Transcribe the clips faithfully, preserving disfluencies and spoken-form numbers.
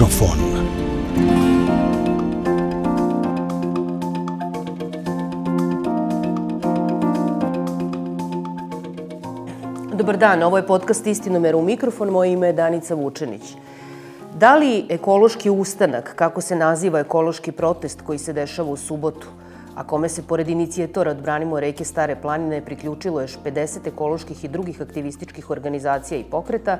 Mikrofon. Dobar dan, ovo je podcast Istinomer u mikrofon, moje ime je Danica Vučenić. Da li ekološki ustanak, kako se naziva ekološki protest koji se dešava u subotu, a kome se pored inicijatora Odbranimo reke Stare planine priključilo još pedeset ekoloških i drugih aktivističkih organizacija i pokreta,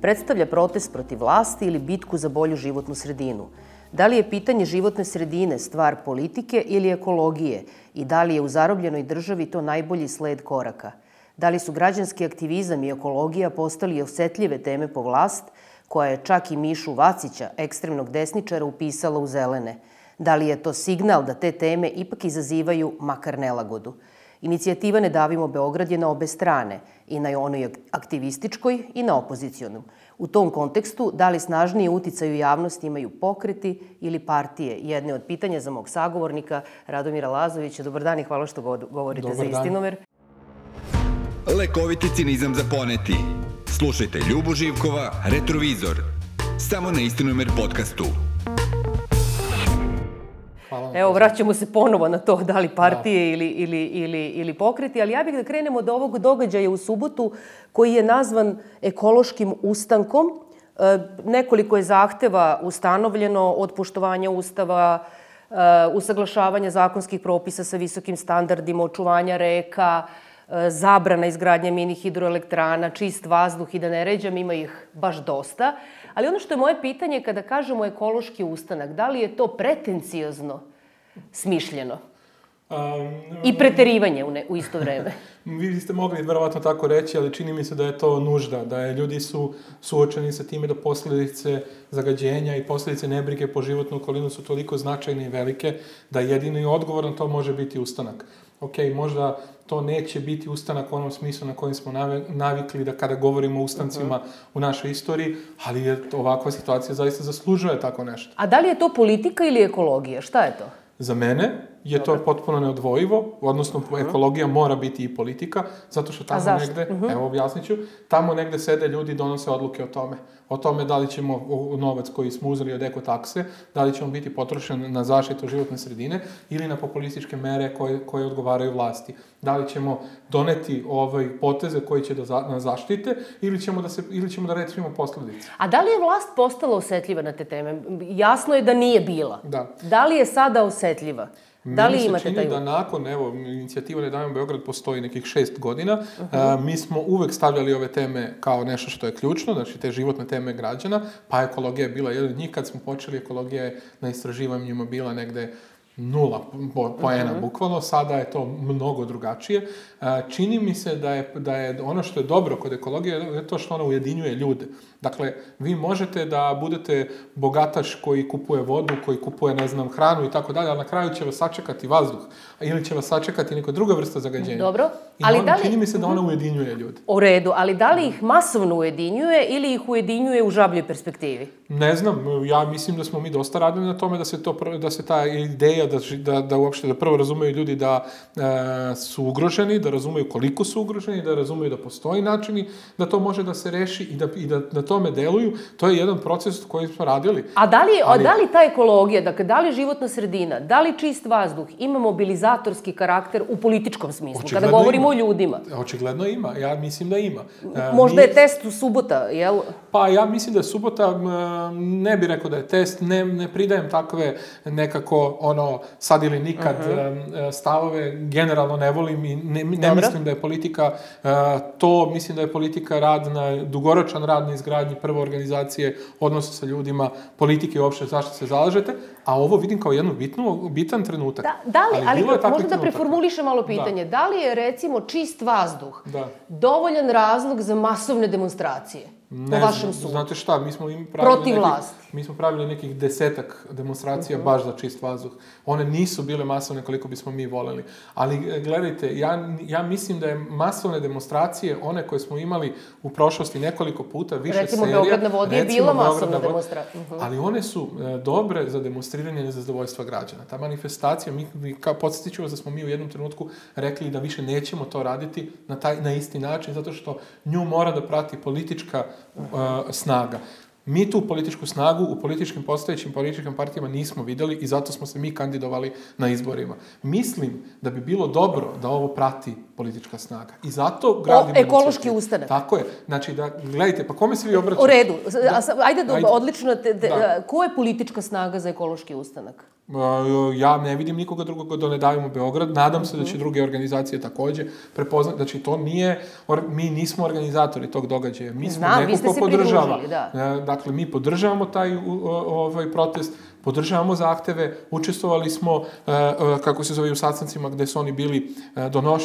predstavlja protest protiv vlasti ili bitku za bolju životnu sredinu? Da li je pitanje životne sredine stvar politike ili ekologije i da li je u zarobljenoj državi to najbolji sled koraka? Da li su građanski aktivizam i ekologija postali osetljive teme po vlast, koja je čak i Mišu Vacića, ekstremnog desničara, upisala u zelene? Da li je to signal da te teme ipak izazivaju makar nelagodu? Inicijativa Ne davimo Beograd je na obe strane, i na onoj aktivističkoj i na opozicionom. U tom kontekstu, da li snažnije uticaj u javnosti imaju pokreti ili partije? Jedne od pitanja za mog sagovornika, Radomira Lazovića. Dobar dan i hvala što govorite za Istinomer. Lekoviti cinizam za poneti. Slušajte Ljubu Živkova, Retrovizor. Samo na Istinomer podcastu. Evo, vraćamo se ponovo na to da li partije ili, ili, ili, ili pokreti, ali ja bih da krenemo od ovog događaja u subotu koji je nazvan ekološkim ustankom. E, nekoliko je zahteva ustanovljeno od poštovanja Ustava, e, usaglašavanja zakonskih propisa sa visokim standardima, očuvanja reka, e, zabrana izgradnje mini hidroelektrana, čist vazduh i da ne ređam, ima ih baš dosta. Ali ono što je moje pitanje kada kažemo ekološki ustanak, da li je to pretenciozno smišljeno um, i preterivanje u, ne, u isto vreme? Vi ste mogli verovatno tako reći, ali čini mi se da je to nužda, da je ljudi su suočeni sa time da posledice zagađenja i posledice nebrige po životnu okolinu su toliko značajne i velike da jedini odgovor na to može biti ustanak. Ok, možda to neće biti ustanak u onom smislu na kojem smo navikli da kada govorimo o ustancima uh-huh. u našoj istoriji, ali je ovakva situacija zaista zaslužuje tako nešto. A da li je to politika ili ekologija? Šta je to? Za mene je to potpuno neodvojivo, odnosno uh-huh. ekologija mora biti i politika, zato što tamo negde, uh-huh. evo objasnit ću, tamo negde sede ljudi i donose odluke o tome. O tome da li ćemo novac koji smo uzeli od ekotakse, da li ćemo biti potrošen na zaštitu životne sredine ili na populističke mere koje, koje odgovaraju vlasti. Da li ćemo doneti ovaj poteze koji će da za, nas zaštite ili ćemo da se ili ćemo da rešimo posledice. A da li je vlast postala osetljiva na te teme? Jasno je da nije bila. Da. Da li je sada osetljiva? Da li Meni se čini da nakon, evo, inicijativa Ne davimo Beograd postoji nekih šest godina, uh-huh. a, mi smo uvek stavljali ove teme kao nešto što je ključno, znači te životne teme građana, pa ekologija je bila jedan od njih. Kad smo počeli, ekologija je na istraživanjima bila negde nula poena, uh-huh. bukvalno, sada je to mnogo drugačije. Čini mi se da je, da je ono što je dobro kod ekologije je to što ona ujedinjuje ljude. Dakle, vi možete da budete bogataš koji kupuje vodu, koji kupuje, ne znam, hranu i tako dalje, ali na kraju će vas sačekati vazduh ili će vas sačekati neka druga vrsta zagađenja. Dobro. I ali on, da li... čini mi se da ona ujedinjuje ljude. U redu, ali da li ih masovno ujedinjuje ili ih ujedinjuje u žabljoj perspektivi? Ne znam, ja mislim da smo mi dosta radili na tome da se, to, da se ta ideja, da, da, da uopšte da prvo razumeju ljudi da e, su ugroženi, da razumeju koliko su ugroženi, da razumeju da postoji načini da to može da se reši i da, i da na tome deluju. To je jedan proces koji smo radili. A da li, ali... da li ta ekologija, dakle, da li životna sredina, da li čist vazduh ima mobilizatorski karakter u političkom smislu, očigledno kada govorimo ima. O ljudima? Očigledno ima, ja mislim da ima. Možda Mi... je test u subota, jel? Pa ja mislim da je subota, ne bih rekao da je test, ne, ne pridajem takve nekako ono sad ili nikad uh-huh. stavove, generalno ne volim i ne, ne mislim da je politika to, mislim da je politika rad na, dugoročan rad na izgradnji prve organizacije, odnosa sa ljudima, politike i uopšte zašto se zalažete, a ovo vidim kao jednu bitnu, bitan trenutak. Da, da li, ali, ali možda da preformuliše malo pitanje, da. da li je recimo čist vazduh da. dovoljan razlog za masovne demonstracije? Ne po vašem sudu. Znate šta, mi smo im pravili protiv nekih, vlasti. Mi smo pravili nekih desetak demonstracija uh-huh. baš za čist vazduh. One nisu bile masovne koliko bismo mi voleli. Ali gledajte, ja, ja mislim da je masovne demonstracije, one koje smo imali u prošlosti nekoliko puta, više recimo, serija. Recimo, Beograd na vodi je bila masovna demonstracija. Uh-huh. Ali one su e, dobre za demonstriranje nezadovoljstva građana. Ta manifestacija, mi, mi kao podsjetit ću vas da smo mi u jednom trenutku rekli da više nećemo to raditi na, taj, na isti način, zato što nju mora da prati politička uh, snaga. Mi tu političku snagu u političkim postojećim političkim partijama nismo videli i zato smo se mi kandidovali na izborima. Mislim da bi bilo dobro da ovo prati politička snaga. I zato gradimo... O, ekološki ustanak. Tako je. Znači, da, gledajte, pa kome se vi obraćate? U redu. Da, ajde, da, ajde. odlično. Te, te, da. Ko je politička snaga za ekološki ustanak? Ja ne vidim nikoga drugog da Ne davimo Beograd. Nadam se da će druge organizacije takođe prepoznati. Znači, to nije... Mi nismo organizatori tog događaja. Mi smo Znam, neko ko podržava. Da. Dakle, mi podržavamo taj ovaj protest, podržavamo zahteve, učestvovali smo, kako se zove, u sastancima gde su oni bili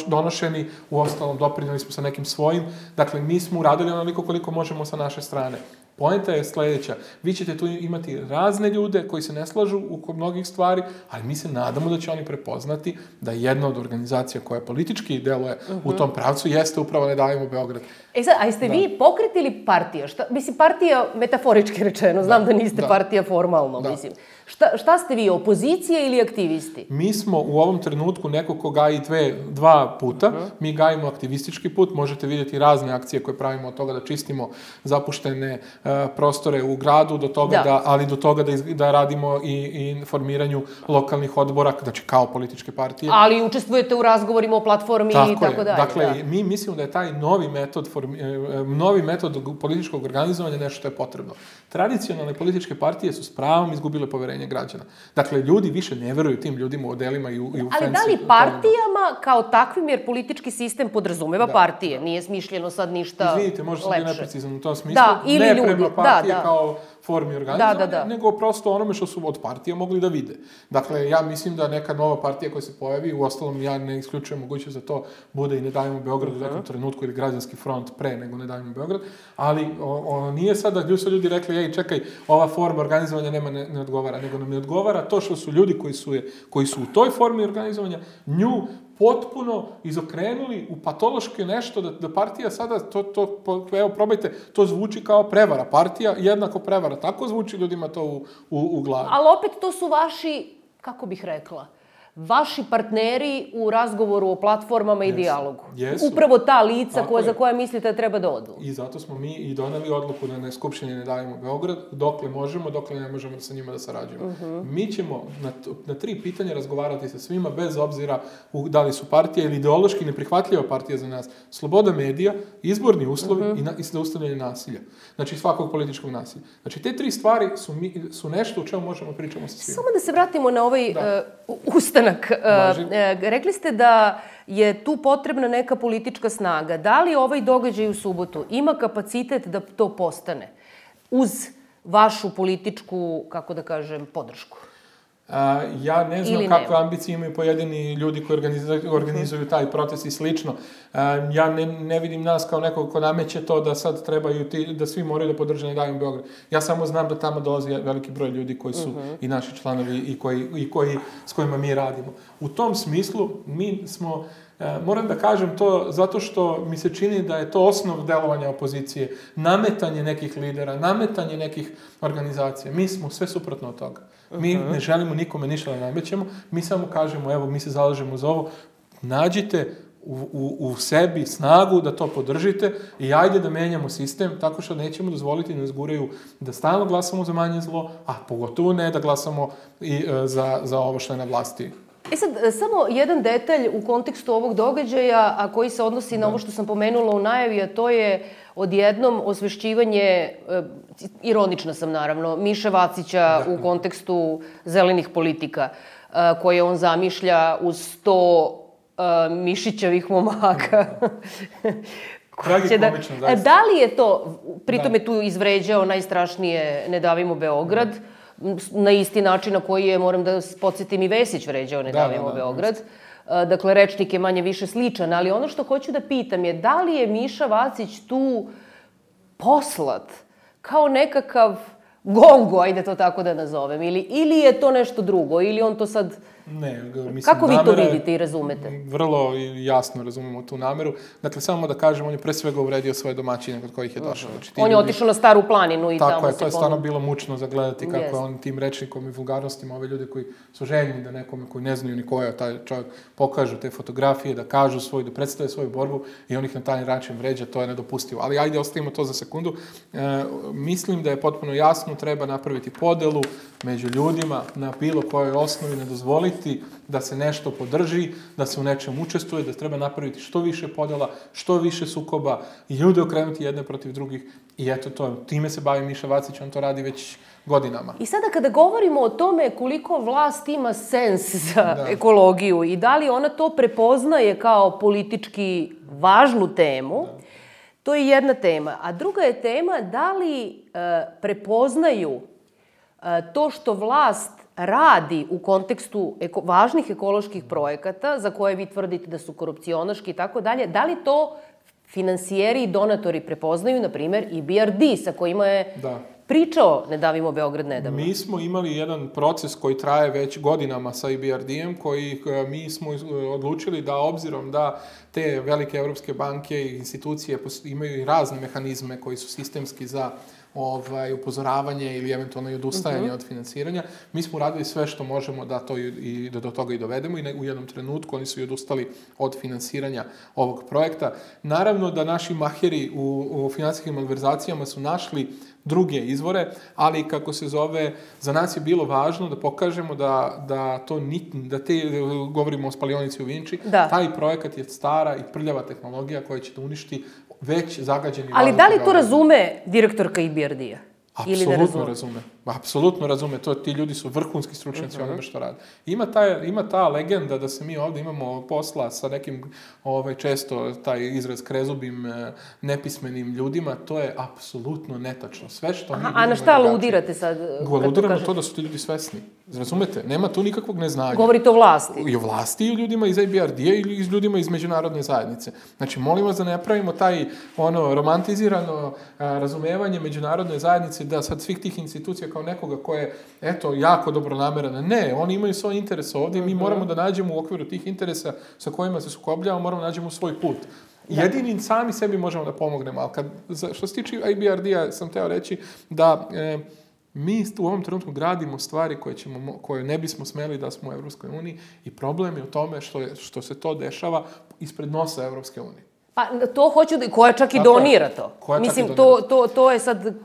donošeni, u ostalom doprinjeli smo sa nekim svojim. Dakle, mi smo uradili onoliko koliko možemo sa naše strane. Poenta je sledeća. Vi ćete tu imati razne ljude koji se ne slažu u mnogih stvari, ali mi se nadamo da će oni prepoznati da jedna od organizacija koja politički deluje uh-huh. u tom pravcu jeste upravo Ne davimo Beograd. E sad, a jeste da. vi pokret ili partija? Šta, mislim, partija metaforički rečeno, znam da, da niste da. partija formalno, da. mislim. Šta, šta ste vi, opozicija ili aktivisti? Mi smo u ovom trenutku neko ko gaji dve, dva puta. Uh-huh. Mi gajimo aktivistički put. Možete vidjeti razne akcije koje pravimo od toga da čistimo zapuštene uh, prostore u gradu, do toga da. Da, ali do toga da, iz, da radimo i, i formiranju lokalnih odbora, znači kao političke partije. Ali učestvujete u razgovorima o platformi tako i tako dalje. Dakle, da. mi mislimo da je taj novi metod, formi, novi metod političkog organizovanja nešto što je potrebno. Tradicionalne političke partije su s pravom izgubile poverenje građana. Dakle, ljudi više ne veruju tim ljudima u odelima i u, i u ali fancy, da li partijama kao takvim, jer politički sistem podrazumeva da, partije, da. nije smišljeno sad ništa lepše. Izvinite, možda sam bio neprecizan u tom smislu. Da, ili ne ljudi. prema partije da, da. kao formi organizovanja, da, da, da. nego prosto onome što su od partija mogli da vide. Dakle, ja mislim da neka nova partija koja se pojavi, u ostalom ja ne isključujem mogućnost da to bude i Ne davimo Beograd uh-huh. u nekom trenutku ili Građanski front pre nego Ne davimo Beograd, ali ono nije sad da su ljudi rekli, ej, čekaj, ova forma organizovanja nema ne, ne odgovara, nego nam ne odgovara to što su ljudi koji su, je, koji su u toj formi organizovanja nju potpuno izokrenuli u patološki nešto, da, da partija sada, to, to, evo probajte, to zvuči kao prevara. Partija jednako prevara. Tako zvuči ljudima to u, u, u glavi. Ali opet to su vaši, kako bih rekla, vaši partneri u razgovoru o platformama i yes. dijalogu. Yes. Upravo ta lica koja, za koja mislite da treba da odu. I zato smo mi i doneli odluku da na Skupštini Ne davimo Beograd, dokle možemo, dokle ne možemo sa njima da sarađujemo. Uh-huh. Mi ćemo na, na tri pitanja razgovarati sa svima, bez obzira u, da li su partije ili ideološki neprihvatljiva partija za nas. Sloboda medija, izborni uslovi uh-huh. i, na, i zaustavljanje nasilja. Znači svakog političkog nasilja. Znači te tri stvari su, mi, su nešto u čemu možemo pričamo sa svima. Samo da se vratimo na ovaj uh, ustanak. Uh, rekli ste da je tu potrebna neka politička snaga. Da li ovaj događaj u subotu ima kapacitet da to postane uz vašu političku, kako da kažem, podršku? A, ja ne znam kakve ambicije imaju pojedini ljudi koji organizuju, organizuju taj proces i slično. A, ja ne, ne vidim nas kao nekog ko nameće to da sad trebaju ti, da svi moraju da podrže Ne davimo Beograd. Ja samo znam da tamo dolazi veliki broj ljudi koji su uh-huh. i naši članovi i, koji, i koji, s kojima mi radimo. U tom smislu mi smo... Moram da kažem to zato što mi se čini da je to osnov delovanja opozicije. Nametanje nekih lidera, nametanje nekih organizacija. Mi smo sve suprotno od toga. Mi ne želimo nikome ništa da namećemo. Mi samo kažemo, evo, mi se zalažemo za ovo. Nađite u, u, u sebi snagu da to podržite i ajde da menjamo sistem tako što nećemo dozvoliti da nas guraju da stalno glasamo za manje zlo, a pogotovo ne da glasamo i, e, za, za ovo što je na vlasti. E sad, samo jedan detalj u kontekstu ovog događaja, a koji se odnosi na ovo što sam pomenula u najavi, a to je odjednom osvešćivanje, e, ironična sam naravno, Miše Vacića da. u kontekstu zelenih politika, e, koje on zamišlja uz sto e, mišićavih momaka. Tragikomično, da, zaista. Da li je to, pritom da. je tu izvređao najstrašnije Ne davimo Beograd, da. na isti način na koji je, moram da podsjetim, i Vesić vređao Ne davimo da, da, da, Beograd. Da. Dakle, rečnik je manje više sličan, ali ono što hoću da pitam je da li je Miša Vacić tu poslat kao nekakav gongu, ajde to tako da nazovem, ili, ili je to nešto drugo, ili on to sad... Ne, mislim, kako vi to namera je- vidite i razumete? Vrlo jasno razumemo tu nameru. Dakle, samo da kažem, on je pre svega uvredio svoje domaćine kod kojih je došao. Znači, ti On je ljudi- otišao na Staru planinu i Tako tamo je, se to je stvarno ponovno... bilo mučno za gledati kako Jeste. je on tim rečnikom i vulgarnostima ove ljude koji su željni da nekome koji ne znaju ni ko je taj čovjek pokažu te fotografije, da kažu svoju, da predstave svoju borbu i on ih na taj način vređa, to je nedopustivo. Ali ajde, ostavimo to za sekundu. E, mislim da je potpuno jasno, treba napraviti podelu među ljudima na bilo kojoj osnovi, ne dozvoliti da se nešto podrži, da se u nečem učestvuje, da treba napraviti što više podela, što više sukoba i ljude okrenuti jedne protiv drugih. I eto to, time se bavi Miša Vacić, on to radi već godinama. I sada kada govorimo o tome koliko vlast ima sens za Da. ekologiju i da li ona to prepoznaje kao politički važnu temu, to je jedna tema. A druga je tema da li e, prepoznaju e, to što vlast radi u kontekstu eko, važnih ekoloških projekata za koje vi tvrdite da su korupcionaški i tako dalje, da li to finansijeri i donatori prepoznaju, na primjer, I B R D sa kojima je Da. pričao Ne davimo Beograd nedavno. Mi smo imali jedan proces koji traje već godinama sa I B R D-em, koji e, mi smo iz- odlučili da obzirom da te velike evropske banke i institucije pos- imaju i razne mehanizme koji su sistemski za ovaj, upozoravanje ili eventualno i odustajanje od finansiranja, mi smo uradili sve što možemo da to i, i da do toga i dovedemo i ne- u jednom trenutku oni su i odustali od finansiranja ovog projekta. Naravno da naši maheri u, u finansijskim malverzacijama su našli druge izvore, ali kako se zove, za nas je bilo važno da pokažemo da, da to ni, da te, govorimo o spalionici u Vinči, Da. taj projekat je stara i prljava tehnologija koja će da uništi već zagađeni Ali vazduh da li u to Beogradu. razume direktorka I B R D-a? Ili ne Apsolutno razume? razume. Apsolutno razume. To, ti ljudi su vrhunski stručnjaci uh onome što rade. Ima, taj, ima ta legenda da se mi ovdje imamo posla sa nekim, ovaj, često taj izraz krezubim, eh, nepismenim ljudima. To je apsolutno netačno. Sve što mi Aha, vidimo a na je šta drugačije. aludirate sad? kad to Aludiram na kažete? to da su ti ljudi svesni. Razumete? Nema tu nikakvog neznanja. Govorite o vlasti. I o vlasti i o ljudima iz I B R D-a ili iz ljudima iz međunarodne zajednice. Znači, molim vas da ne pravimo taj ono romantizirano a, razumevanje međunarodne zajednice da sad svih tih institucija kao nekoga ko je, eto, jako dobronameran. Ne, oni imaju svoj interes ovdje i mi moramo da nađemo u okviru tih interesa sa kojima se sukobljavamo, moramo da nađemo svoj put. Jedini sami sebi možemo da pomognemo, ali kad, za- što se tiče I B R D-a, sam teo reći da e, mi u ovom trenutku gradimo stvari koje, ćemo, mo- koje ne bismo smeli da smo u Evropskoj uniji i problem je u tome što, je, što se to dešava ispred nosa Evropske unije. Pa to hoću da... Koja čak i Tako je. donira to. Koja čak i Mislim, donira. to, to, to je sad...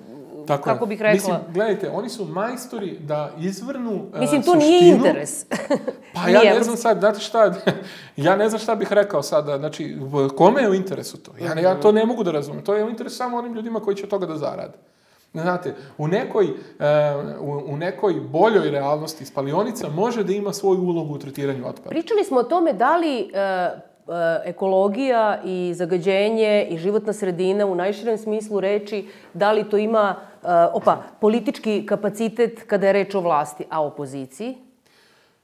Tako kako je. bih rekla... Mislim, gledajte, oni su majstori da izvrnu e, Mislim, to suštinu. nije interes. Pa Nije ja ne evropski. znam sad, znate šta, ja ne znam šta bih rekao sada, znači, kome je u interesu to? Ja, ne- ja to ne mogu da razumem, to je u interesu samo onim ljudima koji će od toga da zarade. Znate, u nekoj, e, u, u nekoj boljoj realnosti spalionica može da ima svoju ulogu u tretiranju otpada. Pričali smo o tome da li e, e, ekologija i zagađenje i životna sredina u najširem smislu reči, da li to ima e, opa, politički kapacitet kada je reč o vlasti, a opoziciji?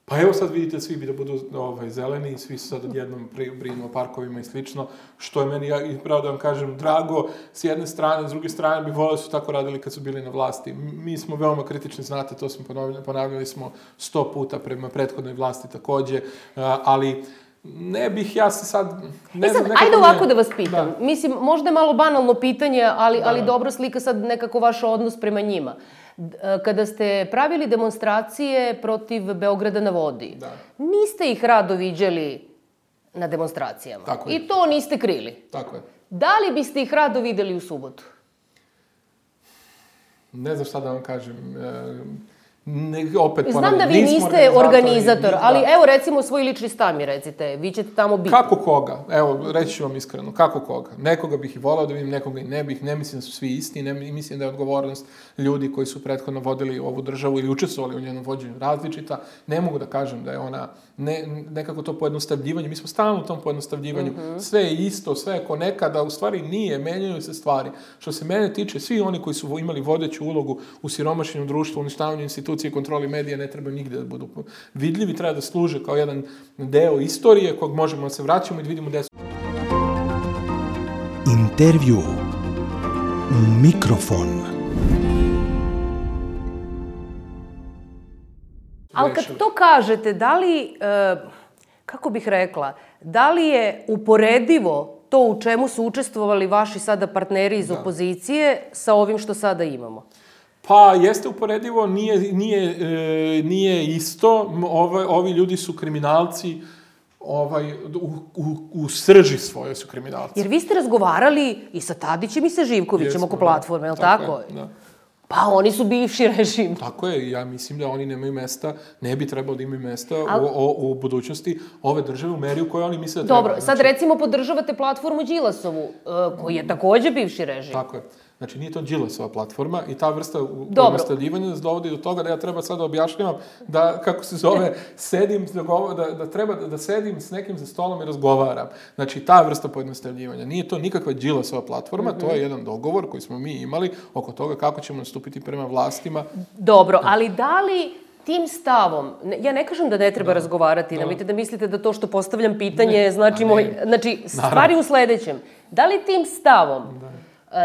Pa evo sad vidite, svi bi da budu ovaj, zeleni, svi su sad odjednom pri- brinu o parkovima i slično, što je meni, ja, i pravo da vam kažem, drago s jedne strane, s druge strane bi volio da su tako radili kad su bili na vlasti. M- Mi smo veoma kritični, znate, to smo ponavljali, ponavljali smo sto puta prema prethodnoj vlasti takođe, a, ali ne bih ja se sad... Ne E sad, znam, nekako ajde mi je- ovako da vas pitam. Mislim, možda je malo banalno pitanje, ali, ali dobro slika sad nekako vaš odnos prema njima. D- e, Kada ste pravili demonstracije protiv Beograda na vodi, Da. niste ih rado viđali na demonstracijama. Tako je. I to niste krili. Tako je. Da li biste ih rado videli u subotu? Ne znam šta da vam kažem. E, ne, opet Znam ponavljam, da vi nismo niste organizator, ni- ali da. evo recimo svoj lični stav mi recite, vi ćete tamo biti. Kako koga? Evo, reći ću vam iskreno, kako koga? Nekoga bih i volao da vidim, nekoga i ne bih, ne mislim da su svi isti, ne mislim da je odgovornost ljudi koji su prethodno vodili ovu državu ili učestvovali u njenom vođenju različita. Ne mogu da kažem da je ona, ne, nekako to pojednostavljivanje, mi smo stalno u tom pojednostavljivanju, sve je isto, sve je ko nekada, u stvari nije, menjaju se stvari. Što se mene tiče, svi oni koji su imali vodeću ulogu u siromašenju društva, uništavanju institucije i kontroli medija ne trebaju nigde da budu vidljivi, treba da služe kao jedan deo istorije kog možemo da se vraćamo i da vidimo gde su. Intervju u mikrofon. Ali kad to kažete, da li, e, kako bih rekla, da li je uporedivo to u čemu su učestvovali vaši sada partneri iz da. opozicije sa ovim što sada imamo? Pa, jeste uporedivo, nije, nije, e, nije isto. Ove, ovi ljudi su kriminalci, ovaj, u, u, u srži svoje su kriminalci. Jer vi ste razgovarali i sa Tadićem i sa Živkovićem Jesmo, oko platforme, je li tako? Tako je, da. Pa oni su bivši režim. Tako je, ja mislim da oni nemaju mesta, ne bi trebalo da imaju mesta Al... u, u, u budućnosti ove države u meri u kojoj oni misle da treba. Dobro, sad znači... recimo podržavate platformu Đilasovu, koji je takođe bivši režim. Tako je. Znači, nije to Đilasova platforma i ta vrsta pojednostavljivanja nas dovodi do toga da ja treba sad da objašnjavam da, kako se zove, sedim, da, da treba da, da sedim s nekim za stolom i razgovaram. Znači, ta vrsta pojednostavljivanja. Nije to nikakva Đilasova platforma, mm-hmm. to je jedan dogovor koji smo mi imali oko toga kako ćemo nastupiti prema vlastima. Dobro, ali da li tim stavom, ja ne kažem da ne treba da. razgovarati, nemojte da mislite da to što postavljam pitanje ne, znači moj, znači stvari u sledećem. Da li tim stavom da.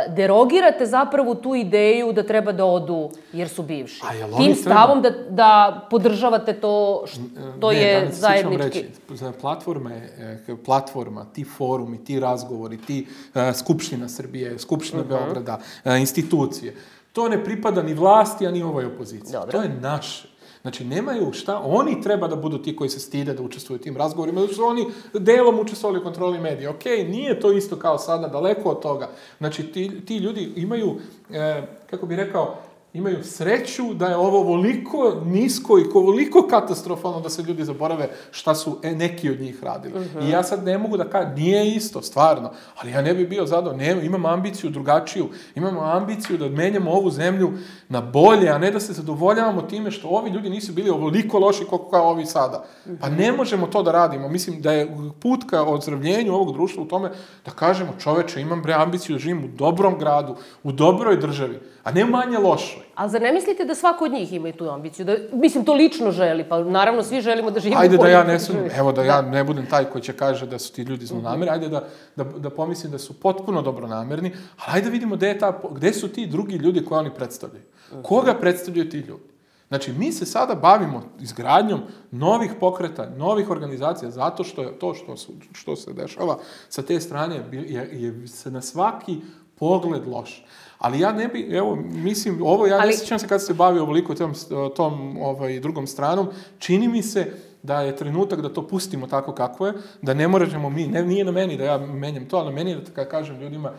derogirate zapravo tu ideju da treba da odu jer su bivši? Tim stavom da, da podržavate to što ne, je zajednički... Reći, platforma je platforma, ti forumi, ti razgovori, ti uh, Skupština Srbije, Skupština uh-huh. Beograda, uh, institucije. To ne pripada ni vlasti, a ni ovoj opoziciji. Dobro. To je naše. Znači, nemaju šta, oni treba da budu ti koji se stide da učestvuju u tim razgovorima, zato su oni delom učestvovali u kontroli medija. Okej, okay, nije to isto kao sada, daleko od toga. Znači, ti, ti ljudi imaju, e, kako bi rekao, imaju sreću da je ovo ovoliko nisko i ovoliko katastrofalno da se ljudi zaborave šta su e, neki od njih radili. Uh-huh. I ja sad ne mogu da kažem, nije isto, stvarno, ali ja ne bih bio zadovoljan. Ne, imam ambiciju drugačiju, imamo ambiciju da menjamo ovu zemlju na bolje, a ne da se zadovoljavamo time što ovi ljudi nisu bili ovoliko loši koliko kao ovi sada. Uh-huh. Pa ne možemo to da radimo. Mislim da je put ka ozdravljenju ovog društva u tome da kažemo, čoveče, imam bre ambiciju da živim u dobrom gradu, u dobroj državi, a ne manje lošoj. Ali zar ne mislite da svako od njih ima i tu ambiciju? Da, mislim, to lično želi, pa naravno svi želimo da živimo ajde u da ja ne sam, evo da, da ja ne budem taj koji će kaže da su ti ljudi zlonamerni, ajde da, da, da pomislim da su potpuno dobronamerni, ali ajde da vidimo gde, je ta, gde su ti drugi ljudi koje oni predstavljaju. Koga predstavljaju ti ljudi? Znači, mi se sada bavimo izgradnjom novih pokreta, novih organizacija, zato što je to što, su, što se dešava sa te strane je, je se na svaki pogled loš. Ali ja ne bi, evo, mislim, ovo ja Ali... ne sjećam se kad se bavio ovoliko tom, tom ovaj, drugom stranom, čini mi se da je trenutak da to pustimo tako kako je, da ne možemo mi, ne, nije na meni da ja menjam to, ali na meni je da kada kažem ljudima,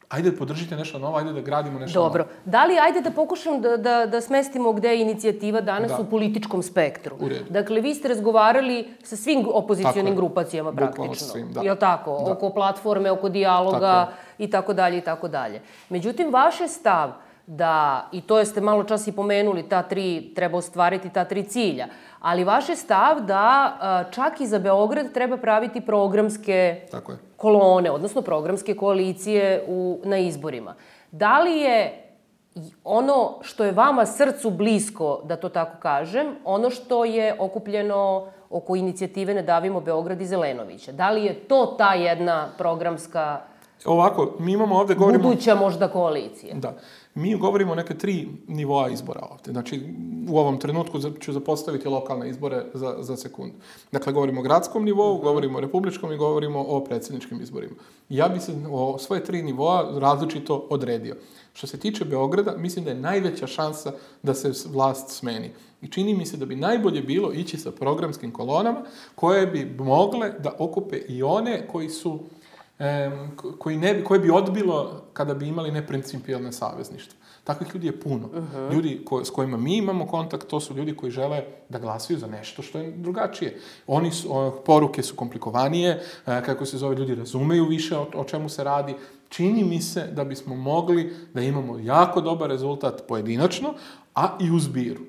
ajde da podržite nešto novo, ajde da gradimo nešto Dobro. novo. Da li, ajde da pokušam da, da, da smestimo gde je inicijativa danas da. u političkom spektru. U redu. Dakle, vi ste razgovarali sa svim opozicionim grupacijama praktično. Svim, da. Je li tako? Da. Oko platforme, oko dijaloga i tako dalje i tako dalje. Međutim, vaš je stav da, i to ste malo čas i pomenuli, ta tri, treba ostvariti ta tri cilja, ali vaš je stav da čak i za Beograd treba praviti programske Tako je. kolone, odnosno programske koalicije u, na izborima. Da li je ono što je vama srcu blisko, da to tako kažem, ono što je okupljeno oko inicijative Ne davimo Beograd i Zelenovića? Da li je to ta jedna programska Ovako, mi imamo ovde, govorimo... buduća možda koalicija? Da. Mi govorimo o neke tri nivoa izbora ovde. Znači, u ovom trenutku ću zapostaviti lokalne izbore za, za sekundu. Dakle, govorimo o gradskom nivou, govorimo o republičkom i govorimo o predsjedničkim izborima. Ja bi se o svoje tri nivoa različito odredio. Što se tiče Beograda, mislim da je najveća šansa da se vlast smeni. I čini mi se da bi najbolje bilo ići sa programskim kolonama koje bi mogle da okupe i one koji su E, koji ne bi, koje bi odbilo kada bi imali neprincipijalne savezništva. Takvih ljudi je puno. Uh-huh. Ljudi ko, s kojima mi imamo kontakt, to su ljudi koji žele da glasaju za nešto što je drugačije. Oni su, o, poruke su komplikovanije, e, kako se zove, ljudi razumeju više o, o čemu se radi. Čini mi se da bismo mogli da imamo jako dobar rezultat pojedinačno, a i u zbiru.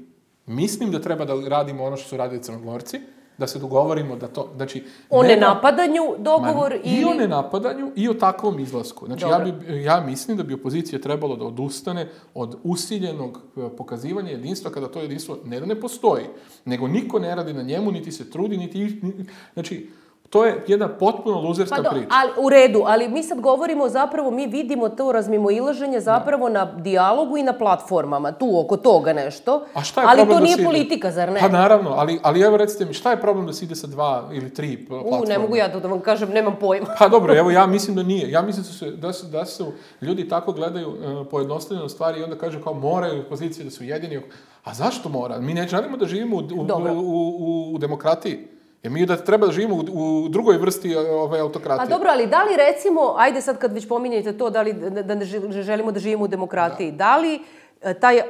Mislim da treba da radimo ono što su radili Crnogorci, da se dogovorimo da to, znači... O nenapadanju dogovor man, ili... I o nenapadanju i o takvom izlasku. Znači, ja, bi, ja mislim da bi opozicija trebalo da odustane od usiljenog pokazivanja jedinstva, kada to jedinstvo ne da ne postoji, nego niko ne radi na njemu, niti se trudi, niti... Znači, To je jedna potpuno luzerska pa do, priča. Ali, u redu, ali mi sad govorimo zapravo, mi vidimo to razmimoilaženje zapravo da. na dijalogu i na platformama, tu oko toga nešto. A šta je ali to da nije ide? politika, zar ne? Pa naravno, ali, ali evo recite mi, šta je problem da se ide sa dva ili tri platforme? U, ne mogu ja to da vam kažem, nemam pojma. Pa dobro, evo ja mislim da nije. Ja mislim da su, da su, da su ljudi tako gledaju uh, pojednostavljeno stvari i onda kažu kao moraju pozicije da su jedini. A zašto mora? Mi ne želimo da živimo u, u, u, u, u demokratiji. Jer mi da treba da živimo u, u drugoj vrsti ove autokratije. A dobro, ali da li recimo, ajde sad kad već pominjete to, da li da ne želimo da živimo u demokratiji, da, da li taj,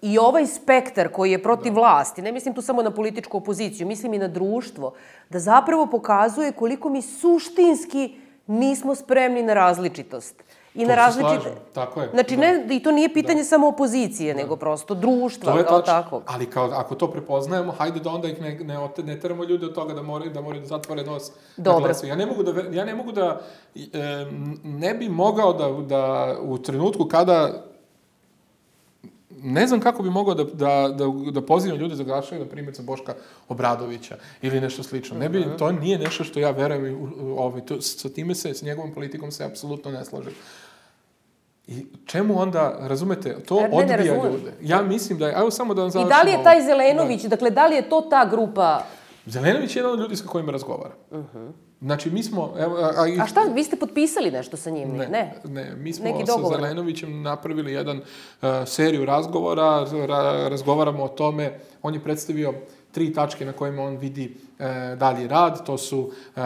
i ovaj spektar koji je protiv da. vlasti, ne mislim tu samo na političku opoziciju, mislim i na društvo, da zapravo pokazuje koliko mi suštinski nismo spremni na različitost. I to na različite... Tako je. Znači, da. ne, i to nije pitanje da. samo opozicije, da. nego prosto društva, to je kao tako. Ali kao, ako to prepoznajemo, hajde da onda ih ne, ne, ne teramo ljude od toga da moraju da, moraju da zatvore nos Dobro. na glasu. Ja ne mogu da, ja ne mogu da, e, ne bi mogao da, da u trenutku kada ne znam kako bi mogao da, da, da, da pozivam ljude za glasanje, na primjer, za Boška Obradovića ili nešto slično. Ne bi, uh-huh. To nije nešto što ja verujem, ovaj, to, sa time se, s njegovom politikom se apsolutno ne slažem. I čemu onda, razumete, to ne, odbija ne ljude. Ja mislim da je, evo samo da vam završim. I da li je taj Zelenović, da. dakle, da li je to ta grupa... Zelenović je jedan od ljudi sa kojima razgovara. Uh-huh. Znači, mi smo... Evo, a, a, a šta, vi ste potpisali nešto sa njim? Ne, ne. ne mi smo sa Zelenovićem napravili jedan uh, seriju razgovora, ra, razgovaramo o tome, on je predstavio tri tačke na kojima on vidi e, dalji rad, to su e,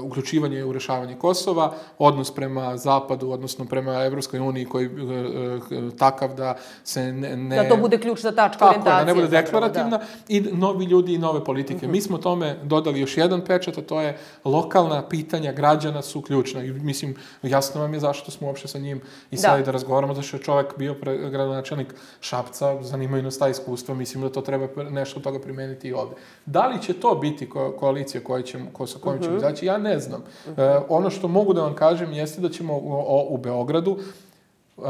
uključivanje u rešavanje Kosova, odnos prema Zapadu, odnosno prema Evropskoj uniji koji e, e, takav da se ne, ne... Da to bude ključna tačka orijentacije. Tako, da ne bude deklarativna da. I novi ljudi i nove politike. Uh-huh. Mi smo tome dodali još jedan pečat, a to je lokalna pitanja građana su ključna. I mislim, jasno vam je zašto smo uopšte sa njim i sad da. da razgovaramo, zašto je čovjek bio pre, gradonačelnik Šapca, zanimaju nas ta iskustva, mislim da to treba nešto od toga primeniti i ovde. Da li će to biti ko, koalicija koja će, ko, sa kojom ćemo uh-huh. izaći, ja ne znam. Uh-huh. E, ono što mogu da vam kažem jeste da ćemo u, o, u Beogradu uh,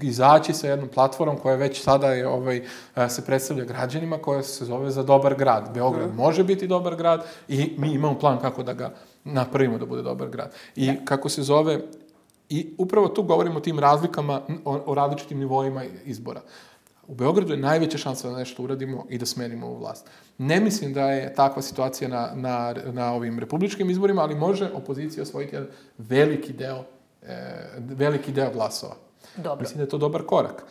izaći sa jednom platformom koja već sada je, ovaj, uh, se predstavlja građanima, koja se zove Za dobar grad. Beograd uh-huh. može biti dobar grad i mi imamo plan kako da ga napravimo da bude dobar grad. I uh-huh. kako se zove, i upravo tu govorimo o tim razlikama, o, o različitim nivoima izbora. U Beogradu je najveća šansa da nešto uradimo i da smenimo ovu vlast. Ne mislim da je takva situacija na, na, na ovim republičkim izborima, ali može opozicija osvojiti jedan veliki deo, e, veliki deo glasova. Dobro. Mislim da je to dobar korak.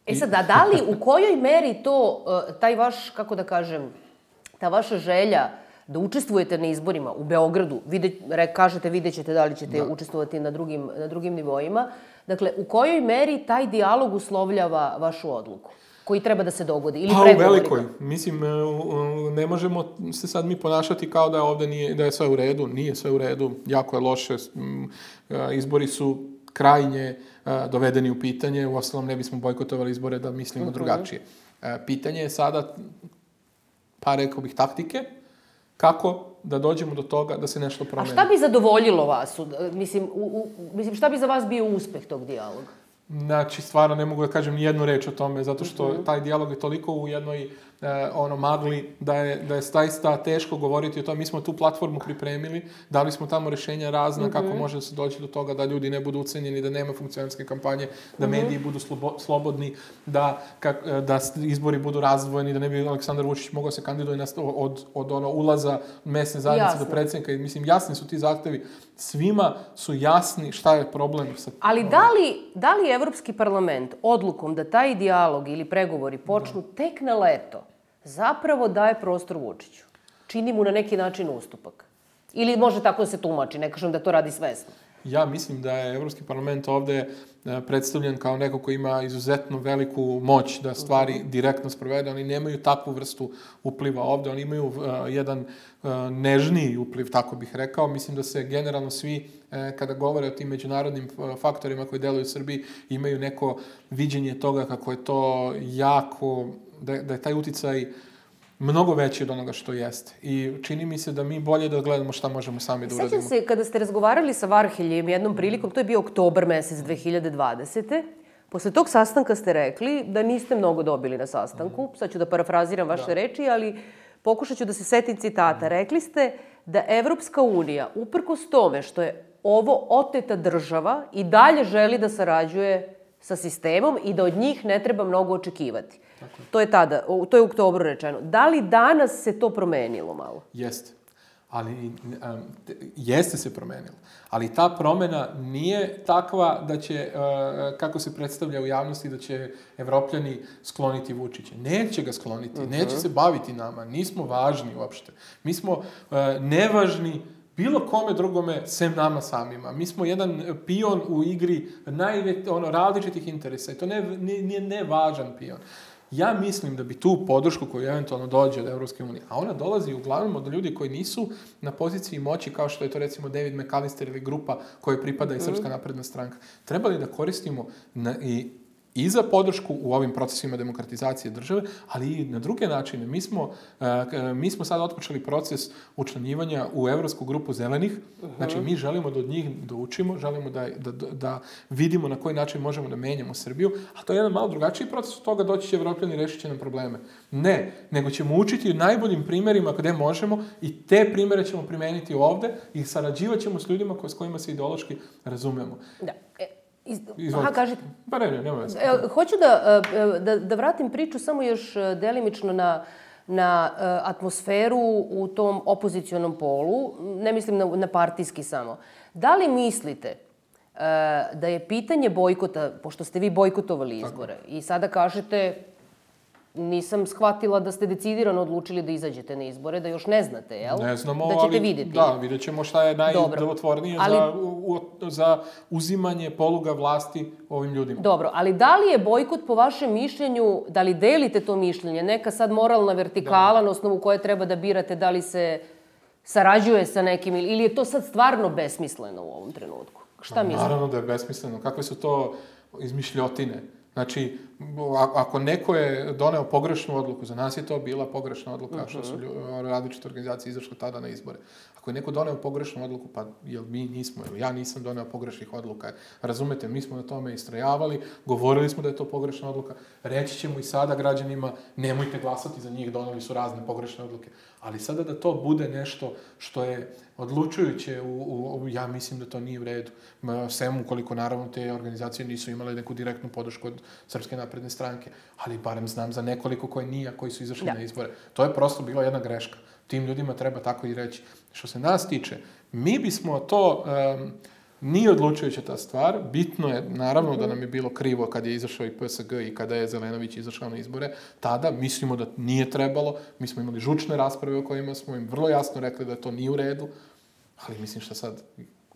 E sad, a da li u kojoj meri to, taj vaš, kako da kažem, ta vaša želja da učestvujete na izborima u Beogradu, vide, kažete, vidjet ćete da li ćete da. učestvovati na drugim, na drugim nivoima, dakle, u kojoj meri taj dijalog uslovljava vašu odluku koji treba da se dogodi? Ili pa u velikoj. Mislim, ne možemo se sad mi ponašati kao da ovde nije, da je sve u redu. Nije sve u redu, jako je loše. Izbori su krajnje dovedeni u pitanje. Uostalom ne bismo bojkotovali izbore da mislimo uh-huh. drugačije. Pitanje je sada, pa rekao bih, taktike, kako da dođemo do toga da se nešto promeni. A šta bi zadovoljilo vas? Mislim, u, u, mislim šta bi za vas bio uspeh tog dijaloga? Znači, stvarno ne mogu da kažem ni jednu reč o tome, zato što uh-huh. taj dijalog je toliko u jednoj e, ono magli da je, da je zaista teško govoriti o tome. Mi smo tu platformu pripremili, dali smo tamo rešenja razna uh-huh. kako može da se doći do toga da ljudi ne budu ucenjeni, da nema funkcionarske kampanje, da uh-huh. mediji budu slobo, slobodni, da, kak, da izbori budu razdvojeni, da ne bi Aleksandar Vučić mogao se kandiduje na, od, od ono ulaza mesne zajednice Jasne. do predsjednika. I, mislim, jasni su ti zahtevi. Svima su jasni šta je problem. Sa, Ali da li, da li Evropski parlament odlukom da taj dijalog ili pregovori počnu da. tek na leto zapravo daje prostor Vučiću? Čini mu na neki način ustupak? Ili može tako da se tumači? Ne kažem da to radi svesno. Ja mislim da je Evropski parlament ovde predstavljen kao neko ko ima izuzetno veliku moć da stvari uh-huh. direktno sprovede. Oni nemaju takvu vrstu upliva ovde. Oni imaju uh, jedan uh, nežniji upliv, tako bih rekao. Mislim da se generalno svi, uh, kada govore o tim međunarodnim faktorima koji deluju u Srbiji, imaju neko viđenje toga kako je to jako, da, da je taj uticaj mnogo veći od onoga što jeste. I čini mi se da mi bolje da gledamo šta možemo sami da uradimo. Sećam se, kada ste razgovarali sa Varheljem jednom prilikom, to je bio oktobar mesec dve hiljade dvadesete. Posle tog sastanka ste rekli da niste mnogo dobili na sastanku. Sad ću da parafraziram vaše da. reči, ali pokušat ću da se setim citata. Rekli ste da Evropska unija, uprkos tome što je ovo oteta država, i dalje želi da sarađuje sa sistemom i da od njih ne treba mnogo očekivati. Tako. To je tada, to je u oktobru rečeno. Da li danas se to promenilo malo? Jeste. Ali um, jeste se promenilo. Ali ta promjena nije takva da će, uh, kako se predstavlja u javnosti, da će Evropljani skloniti Vučića. Neće ga skloniti, uh-huh. neće se baviti nama. Nismo važni uopšte. Mi smo uh, nevažni bilo kome drugome, sem nama samima. Mi smo jedan pion u igri najve, ono, različitih interesa. I to ne, nije nevažan pion. Ja mislim da bi tu podršku koju eventualno dođe od Evropske unije, a ona dolazi uglavnom od ljudi koji nisu na poziciji moći, kao što je to recimo David McAllister ili grupa kojoj pripada i Srpska napredna stranka, trebali da koristimo na, i i za podršku u ovim procesima demokratizacije države, ali i na druge načine. Mi smo, uh, mi smo sad otpočeli proces učlanjivanja u Evropsku grupu zelenih. Uh-huh. Znači, mi želimo da od njih da učimo, želimo da, da, da vidimo na koji način možemo da menjamo Srbiju, a to je jedan malo drugačiji proces, od toga doći će Evropljani i rešit će nam probleme. Ne, nego ćemo učiti u najboljim primjerima gde možemo i te primjere ćemo primeniti ovde i sarađivat ćemo s ljudima s kojima se ideološki razumemo. Da. E, Iz... Aha, kažite. Pa ne, ne, nema veze. E, hoću da, da, da vratim priču samo još delimično na, na atmosferu u tom opozicionom polu. Ne mislim na, na partijski samo. Da li mislite da je pitanje bojkota, pošto ste vi bojkotovali izbore, tako, i sada kažete, nisam shvatila da ste decidirano odlučili da izađete na izbore, da još ne znate, jel? Ne znamo, da ćete ali vidjeti. Da, vidjet ćemo šta je najdelotvornije ali... za, u, za uzimanje poluga vlasti ovim ljudima. Dobro, ali da li je bojkot po vašem mišljenju, da li delite to mišljenje, neka sad moralna vertikala da, na osnovu koje treba da birate da li se sarađuje sa nekim ili je to sad stvarno besmisleno u ovom trenutku? Šta mislite? Naravno da je besmisleno. Kakve su to izmišljotine? Znači, ako neko je doneo pogrešnu odluku, za nas je to bila pogrešna odluka, uh-huh. što su različite organizacije izašle tada na izbore. Ako je neko doneo pogrešnu odluku, pa jel mi nismo, jel ja nisam doneo pogrešnih odluka. Razumete, mi smo na tome istrajavali, govorili smo da je to pogrešna odluka, reći ćemo i sada građanima, nemojte glasati za njih, doneli su razne pogrešne odluke. Ali sada da to bude nešto što je odlučujuće, u, u, ja mislim da to nije u redu. Sem ukoliko naravno te organizacije nisu imale neku direktnu podršku od Srpske napredne stranke, ali barem znam za nekoliko koje nije, koji su izašli da. na izbore. To je prosto bila jedna greška. Tim ljudima treba tako i reći. Što se nas tiče, mi bismo to, um, nije odlučujuća ta stvar, bitno je, naravno mm-hmm. da nam je bilo krivo kad je izašao i P S G i kada je Zelenović izašao na izbore, tada mislimo da nije trebalo, mi smo imali žučne rasprave o kojima smo im vrlo jasno rekli da to nije u redu, ali mislim šta sad...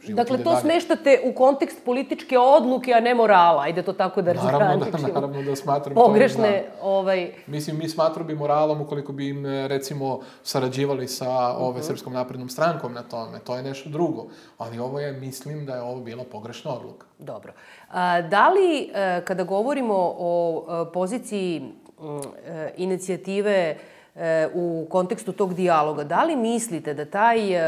Dakle, to dalje. Smeštate u kontekst političke odluke, a ne morala. Ajde to tako da razgraničimo. Naravno da, naravno da smatram pogrešne, to. Da. Ovaj... Mislim, mi smatram bi moralom ukoliko bi im, recimo, sarađivali sa ove uh-huh. Srpskom naprednom strankom na tome. To je nešto drugo. Ali ovo je, mislim da je ovo bila pogrešna odluka. Dobro. A, da li, kada govorimo o poziciji inicijative u kontekstu tog dijaloga, da li mislite da taj uh,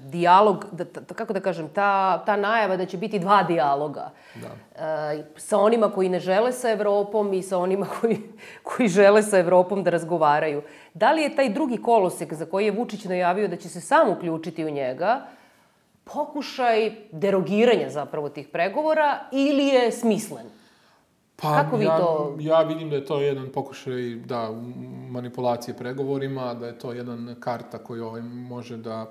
dijalog, da, ta, kako da kažem, ta, ta najava da će biti dva dijaloga da. Uh, sa onima koji ne žele sa Evropom i sa onima koji, koji žele sa Evropom da razgovaraju, da li je taj drugi kolosek za koji je Vučić najavio da će se sam uključiti u njega pokušaj derogiranja zapravo tih pregovora ili je smislen? Pa, Kako vi ja, to... ja vidim da je to jedan pokušaj da, manipulacije pregovorima, da je to jedan karta koju ovaj može da,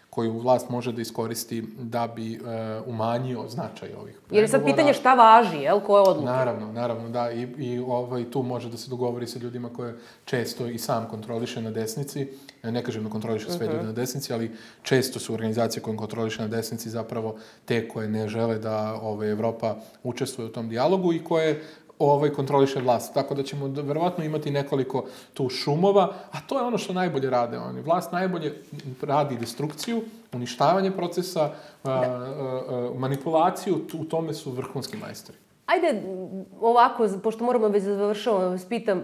koju vlast može da iskoristi da bi e, umanjio značaj ovih pregovora. Jer je sad pitanje šta važi, jel, koje odluke? Naravno, naravno, da. I, i ovaj, tu može da se dogovori sa ljudima koje često i sam kontroliše na desnici. Ne kažem da kontroliše sve uh-huh. ljude na desnici, ali često su organizacije koje kontroliše na desnici zapravo te koje ne žele da ovaj, Evropa učestvuje u tom dijalogu i koje ovaj kontroliše vlast. Tako da ćemo verovatno imati nekoliko tu šumova, a to je ono što najbolje rade oni. Vlast najbolje radi destrukciju, uništavanje procesa, a, a, a, manipulaciju, u tome su vrhunski majstori. Ajde, ovako, pošto moramo već završavamo, vas pitam,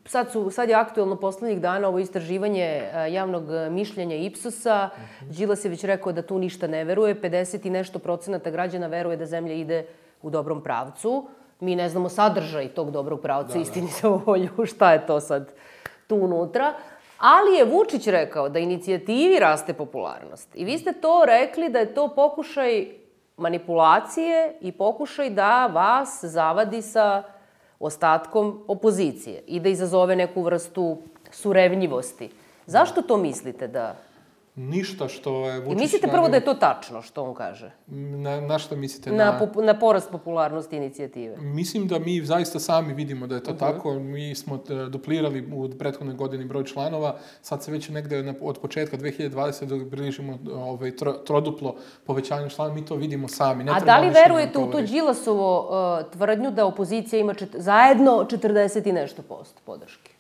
sad, su, sad je aktuelno poslednjih dana ovo istraživanje javnog mišljenja Ipsosa. Uh-huh. Đilas je već rekao da tu ništa ne veruje, pedeset i nešto procenata građana veruje da zemlja ide u dobrom pravcu. Mi ne znamo sadržaj tog dobrog pravca, da, istini za volju, šta je to sad tu unutra. Ali je Vučić rekao da inicijativi raste popularnost. I vi ste to rekli da je to pokušaj manipulacije i pokušaj da vas zavadi sa ostatkom opozicije i da izazove neku vrstu surevnjivosti. Zašto to mislite da... Ništa što je Vučić... I mislite prvo da je to tačno što on kaže? Na, na što mislite? Na, na... na porast popularnosti inicijative. Mislim da mi zaista sami vidimo da je to uh-huh. tako. Mi smo duplirali u prethodnoj godini broj članova. Sad se već negde na, od početka dve hiljade dvadesete bližimo ovaj, tro, troduplo povećanje članova. Mi to vidimo sami. Ne A da li verujete u to Đilasovo uh, tvrdnju da opozicija ima čet... zajedno četrdeset i nešto posto podrške?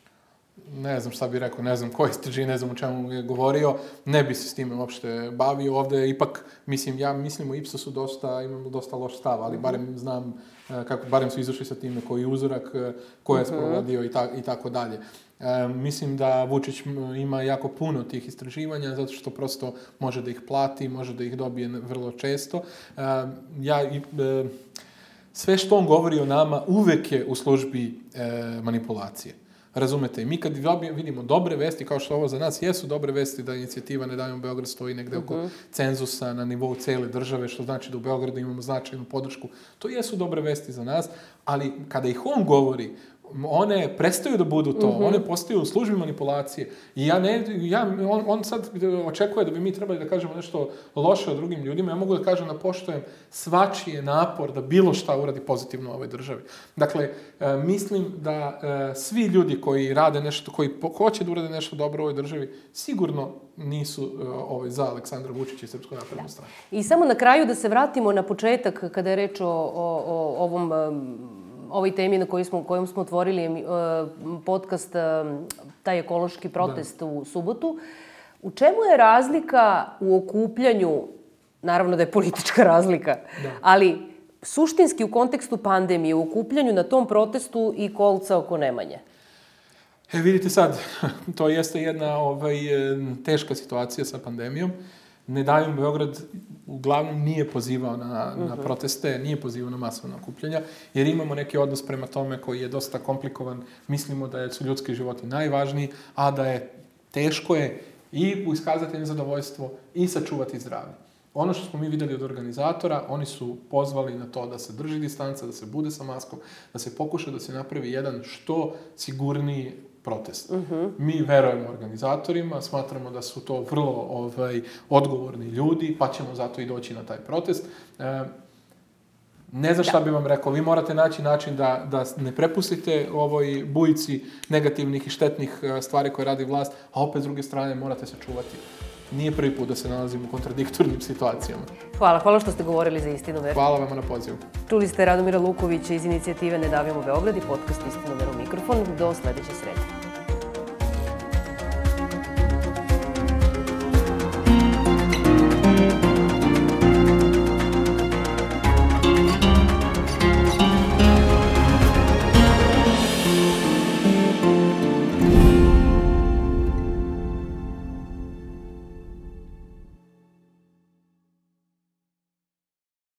Ne znam šta bih rekao, ne znam ko istraži, ne znam o čemu je govorio, ne bi se s time uopšte bavio. Ovde ipak, mislim, ja mislim u Ipsosu dosta, imamo dosta loš stav, ali barem znam, kako, barem su izašli sa time koji je uzorak, ko je sprovodio i, ta, i tako dalje. E, mislim da Vučić ima jako puno tih istraživanja, zato što prosto može da ih plati, može da ih dobije vrlo često. E, ja, e, sve što on govori o nama uvek je u službi e, manipulacije. Razumete, i mi kad vidimo dobre vesti, kao što ovo za nas jesu dobre vesti, da inicijativa Ne davimo Beograd stoji negde oko uh-huh. cenzusa na nivou cele države, što znači da u Beogradu imamo značajnu podršku, to jesu dobre vesti za nas, ali kada ih on govori, one prestaju da budu to, uh-huh. one postaju u službi manipulacije. I ja ne, ja, on, on sad očekuje da bi mi trebali da kažemo nešto loše o drugim ljudima. Ja mogu da kažem da poštujem svačiji napor da bilo šta uradi pozitivno u ovoj državi. Dakle, e, mislim da e, svi ljudi koji rade nešto, koji hoće da urade nešto dobro u ovoj državi, sigurno nisu e, ovaj, za Aleksandra Vučića i Srpsku naprednu stranku. I samo na kraju da se vratimo na početak kada je reč o, o, o ovom... Um, ovoj temi na kojoj smo, kojom smo otvorili uh, podcast, uh, taj ekološki protest da. u subotu. U čemu je razlika u okupljanju, naravno da je politička razlika, da. ali suštinski u kontekstu pandemije, u okupljanju na tom protestu i kolca oko Nemanje? E, vidite sad, to jeste jedna ovaj, teška situacija sa pandemijom. Ne davimo Beograd uglavnom nije pozivao na, uh-huh. na proteste, nije pozivao na masovna okupljanja, jer imamo neki odnos prema tome koji je dosta komplikovan. Mislimo da su ljudski životi najvažniji, a da je teško je i iskazati nezadovoljstvo i sačuvati zdravlje. Ono što smo mi videli od organizatora, oni su pozvali na to da se drži distanca, da se bude sa maskom, da se pokuša da se napravi jedan što sigurniji protest. Uh-huh. Mi verujemo organizatorima, smatramo da su to vrlo ovaj, odgovorni ljudi, pa ćemo zato i doći na taj protest. E, ne znam šta bi vam rekao, vi morate naći način da, da ne prepustite ovoj bujici negativnih i štetnih stvari koje radi vlast, a opet s druge strane morate se čuvati. Nije prvi put da se nalazimo u kontradiktornim situacijama. Hvala, hvala što ste govorili za Istinomer. Hvala vam na pozivu. Čuli ste Radomira Lukovića iz inicijative Ne davimo Beograd i podcast Istinomer u mikrofon. Do sledeće srede.